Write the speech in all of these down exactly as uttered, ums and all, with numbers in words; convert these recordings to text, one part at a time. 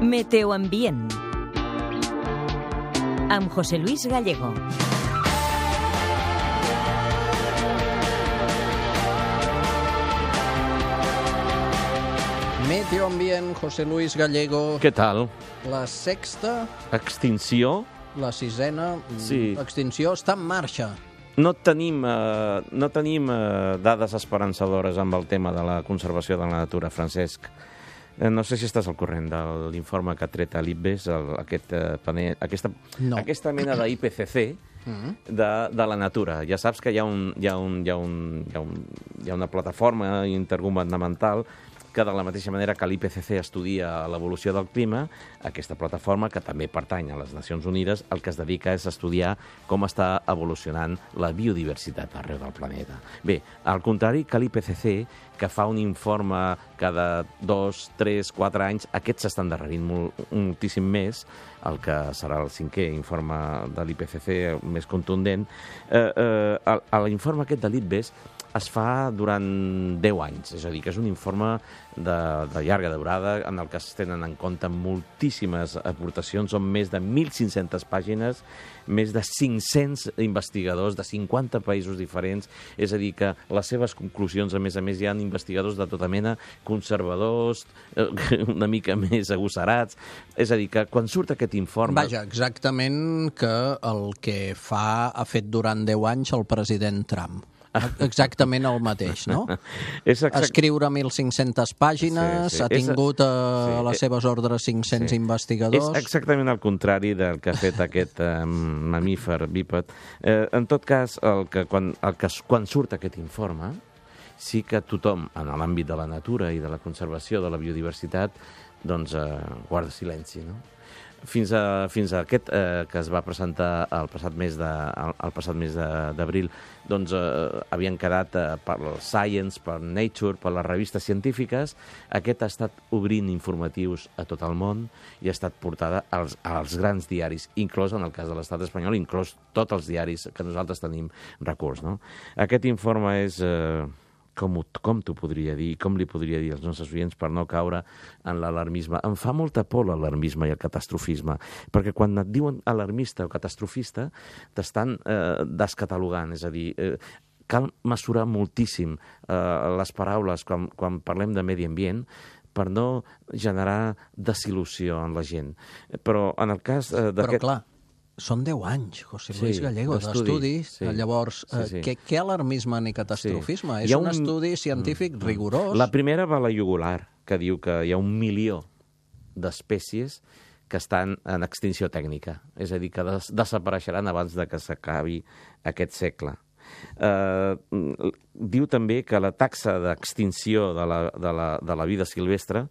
Meteoambient amb José Luis Gallego. Meteoambient, José Luis Gallego. Què tal? La sexta... Extinció? La sisena... Sí. Extinció està en marxa. No tenim, eh, no tenim eh, dades esperançadores amb el tema de la conservació de la natura, Francesc. Eh, no sé si estàs al corrent de l'informe que ha tret a l'I P B E S, el, aquest, eh, panel, aquesta, no. aquesta mena d'I P C C de, de la natura. Ja saps que hi ha, un, hi, ha un, hi, ha un, hi, ha un, hi ha una plataforma intergovernamental que de la mateixa manera que l'I P C C estudia l'evolució del clima, aquesta plataforma, que també pertany a les Nacions Unides, el que es dedica és a estudiar com està evolucionant la biodiversitat arreu del planeta. Bé, al contrari que l'I P C C, que fa un informe cada dos, tres, quatre anys, aquests s'estan endarrerint molt, moltíssim més, el que serà el cinquè informe de l'I P C C més contundent. Eh, eh, L'informe aquest de l'I P B E S es fa durant deu anys, és a dir, que és un informe de, de llarga durada en el que es tenen en compte moltíssimes aportacions, són més de mil cinc-centes pàgines, més de cinc-cents investigadors de cinquanta països diferents, és a dir, que les seves conclusions, a més a més, hi ha investigadors de tota mena, conservadors, una mica més agosarats, és a dir, que quan surt aquest informe... Vaja, exactament que el que fa ha fet durant deu anys el president Trump. Exactament el mateix, no? És exact... Escriure mil cinc-centes pàgines, sí, sí. ha tingut a, sí. a les seves ordres cinc-cents sí. investigadors... És exactament el contrari del que ha fet aquest eh, mamífer bíped. Eh, en tot cas, el que, quan, el que, quan surt aquest informe, sí que tothom, en l'àmbit de la natura i de la conservació de la biodiversitat, doncs eh, guarda silenci, no? Fins a, fins a aquest eh, que es va presentar el passat mes de, el, el passat mes d'abril, doncs eh, havien quedat eh, per Science, per Nature, per les revistes científiques. Aquest ha estat obrint informatius a tot el món i ha estat portada als, als grans diaris, inclòs en el cas de l'estat espanyol, inclòs tots els diaris que nosaltres tenim recurs, no? Aquest informe és... Eh, Com, com t'ho podria dir, com li podria dir als nostres oients per no caure en l'alarmisme. Em fa molta por l'alarmisme i el catastrofisme, perquè quan et diuen alarmista o catastrofista t'estan eh, descatalogant, és a dir, eh, cal mesurar moltíssim eh, les paraules quan, quan parlem de medi ambient per no generar desil·lusió en la gent. Però en el cas eh, d'aquest... Però clar, són deu anys, José Luis sí, Gallego, d'estudis. Sí. Llavors, sí, sí. Què, què alarmisme ni catastrofisme? Sí. És un, un estudi científic mm. rigorós. La primera va a la jugular, que diu que hi ha un milió d'espècies que estan en extinció tècnica, és a dir, que des desapareixeran abans de que s'acabi aquest segle. Uh, diu també que la taxa d'extinció de, la, de, la, de la vida silvestre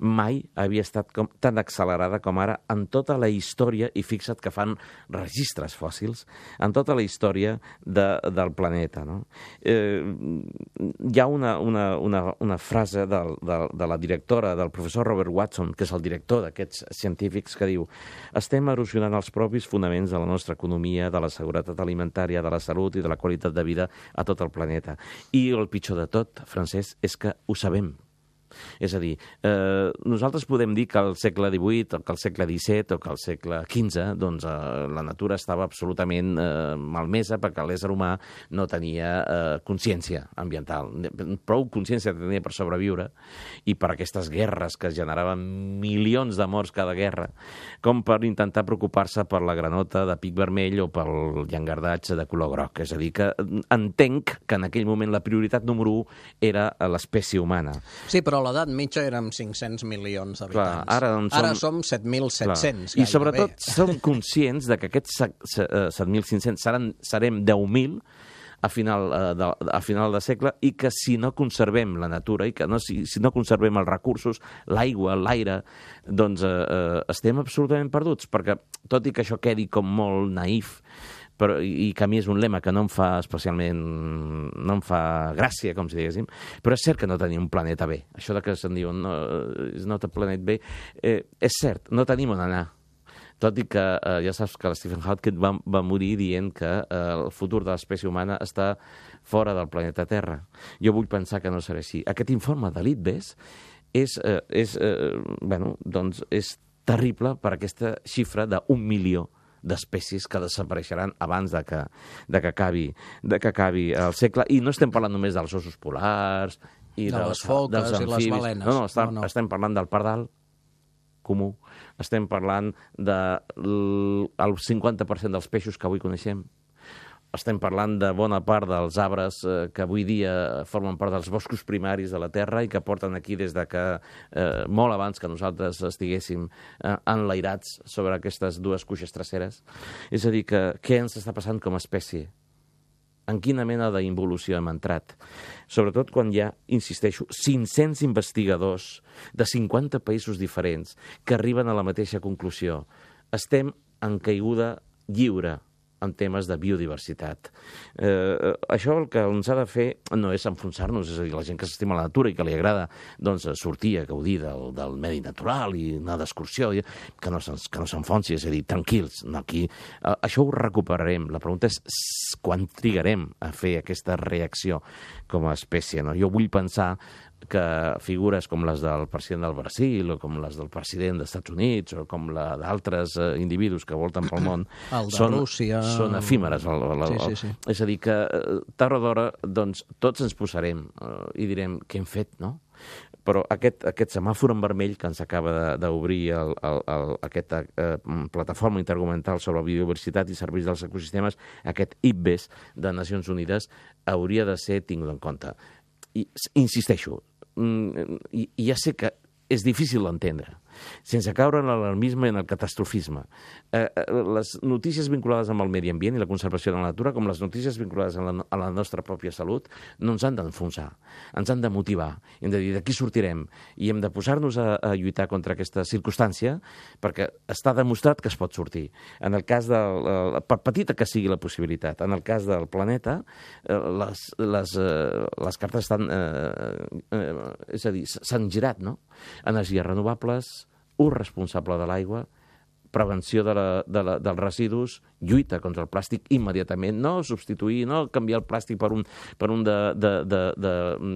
mai havia estat com, tan accelerada com ara en tota la història, i fixa't que fan registres fòssils, en tota la història de, del planeta, no? Eh, hi ha una, una, una, una frase de, de, de la directora, del professor Robert Watson, que és el director d'aquests científics, que diu: estem erosionant els propis fonaments de la nostra economia, de la seguretat alimentària, de la salut i de la qualitat de vida a tot el planeta. I el pitjor de tot, Francesc, és que ho sabem. És a dir, eh, nosaltres podem dir que al segle divuit, o que al segle disset, o que al segle quinze, doncs eh, la natura estava absolutament eh, malmesa perquè l'ésser humà no tenia eh, consciència ambiental. Prou consciència tenia per sobreviure i per aquestes guerres que generaven milions de morts cada guerra, com per intentar preocupar-se per la granota de pic vermell o pel llangardatge de color groc. És a dir, que entenc que en aquell moment la prioritat número u era l'espècie humana. Sí, però a l'edat mitja érem cinc-cents milions d'habitants. Clar, ara, som... ara som set mil set-cents. I sobretot som conscients de que aquests set mil cinc-cents seran, serem deu mil a final, de, a final de segle, i que si no conservem la natura i que no, si, si no conservem els recursos, l'aigua, l'aire, doncs eh, estem absolutament perduts, perquè tot i que això quedi com molt naïf, però, i que a mi és un lema que no em fa especialment, no em fa gràcia, com si diguéssim, però és cert que no tenim un planeta B. Això de que se'n diuen no, is not a planet B, eh, és cert, no tenim on anar. Tot i que eh, ja saps que Stephen Hawking va, va morir dient que eh, el futur de l'espècie humana està fora del planeta Terra. Jo vull pensar que no serà així. Aquest informe de l'I P B E S és, eh, és, eh, bueno, doncs és terrible per aquesta xifra d'un milió d'espècies que desapareixeran abans de que, de que, acabi, de que acabi el segle. I no estem parlant només dels ossos polars i de dels, les foques dels i les balenes. No, no, estem, no, no. estem parlant del pardal comú, estem parlant del cinquanta per cent dels peixos que avui coneixem, estem parlant de bona part dels arbres eh, que avui dia formen part dels boscos primaris de la Terra i que porten aquí des de que, eh, molt abans que nosaltres estiguéssim eh, enlairats sobre aquestes dues cuixes traceres. És a dir, que què ens està passant com a espècie? En quina mena d'involució hem entrat? Sobretot quan hi ha, insisteixo, cinc-cents investigadors de cinquanta països diferents que arriben a la mateixa conclusió. Estem en caiguda lliure en temes de biodiversitat. Eh, això el que ens ha de fer no és enfonsar-nos, és a dir, la gent que s'estima la natura i que li agrada doncs, sortir a gaudir del, del medi natural i anar d'excursió, que no s'enfonsi, és a dir, tranquils. No, aquí, eh, això ho recuperarem. La pregunta és quan trigarem a fer aquesta reacció com a espècie. No? Jo vull pensar que figures com les del president del Brasil o com les del president dels Estats Units o com la d'altres eh, individus que volten pel món són, Rússia... són efímeres. El, el, el, sí, sí, sí. És a dir, que eh, tard o d'hora doncs, tots ens posarem eh, i direm què hem fet, no? Però aquest, aquest semàfor en vermell que ens acaba d'obrir el, el, el, aquesta eh, plataforma intergovernamental sobre la biodiversitat i serveis dels ecosistemes, aquest I P B E S de Nacions Unides, hauria de ser tingut en compte. I insisteixo, i, i ja sé que és difícil d'entendre, sense caure en l'alarmisme i en el catastrofisme. Eh, les notícies vinculades amb el medi ambient i la conservació de la natura, com les notícies vinculades a la, a la nostra pròpia salut, no ens han d'enfonsar, ens han de motivar. Hem de dir d'aquí sortirem i hem de posar-nos a, a lluitar contra aquesta circumstància perquè està demostrat que es pot sortir. En el cas de, per petita que sigui la possibilitat, en el cas del planeta, les, les, les cartes estan, eh, eh, és a dir, s'han girat, no? Energies renovables, ús responsable de l'aigua, prevenció de la, de la, dels residus, lluita contra el plàstic immediatament, no substituir, no canviar el plàstic per un, per un de, de, de, de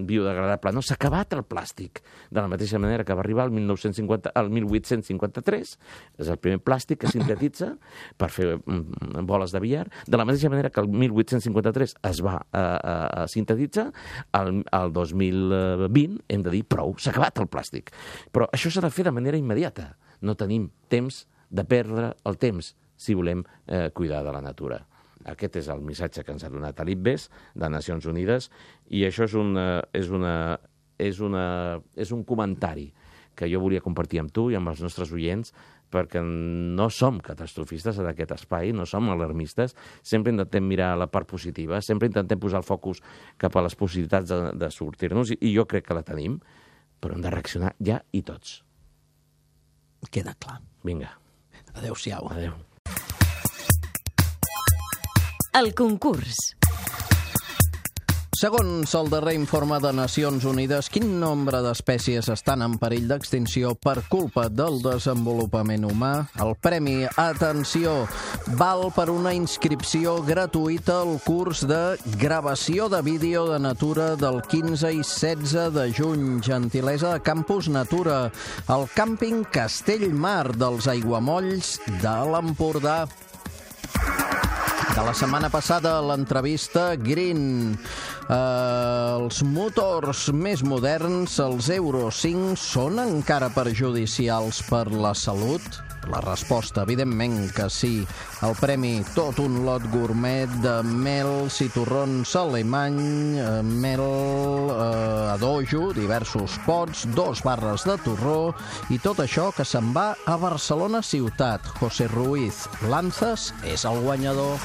biodegradable, no, s'ha acabat el plàstic, de la mateixa manera que va arribar el, mil nou-cents cinquanta, el mil vuit-cents cinquanta-tres, és el primer plàstic que sintetitza per fer mm, boles de billar, de la mateixa manera que el mil vuit-cents cinquanta-tres es va a, a, a sintetitzar, el, el dos mil vint hem de dir prou, s'ha acabat el plàstic. Però això s'ha de fer de manera immediata, no tenim temps de perdre el temps si volem eh, cuidar de la natura. Aquest és el missatge que ens ha donat l'I P B E S de Nacions Unides i això és, una, és, una, és, una, és un comentari que jo volia compartir amb tu i amb els nostres oients perquè no som catastrofistes en aquest espai, no som alarmistes, sempre intentem mirar la part positiva, sempre intentem posar el focus cap a les possibilitats de, de sortir-nos i, i jo crec que la tenim, però hem de reaccionar ja i tots. Queda clar. Vinga. Adéu-siau. Adéu. El concurs. Segons el darrer informe de Nacions Unides, quin nombre d'espècies estan en perill d'extinció per culpa del desenvolupament humà? El premi, atenció, val per una inscripció gratuïta al curs de gravació de vídeo de natura del quinze i setze de juny. Gentilesa de Campus Natura, al càmping Castellmar dels Aiguamolls de l'Empordà. De la setmana passada, l'entrevista Green. Uh, els motors més moderns, els Euro cinc, són encara perjudicials per la salut? La resposta, evidentment que sí. El premi, tot un lot gourmet de mels i torrons alemany, eh, mel eh, a dojo, diversos pots, dos barres de torró i tot això que se'n va a Barcelona ciutat. José Ruiz Lanzas és el guanyador.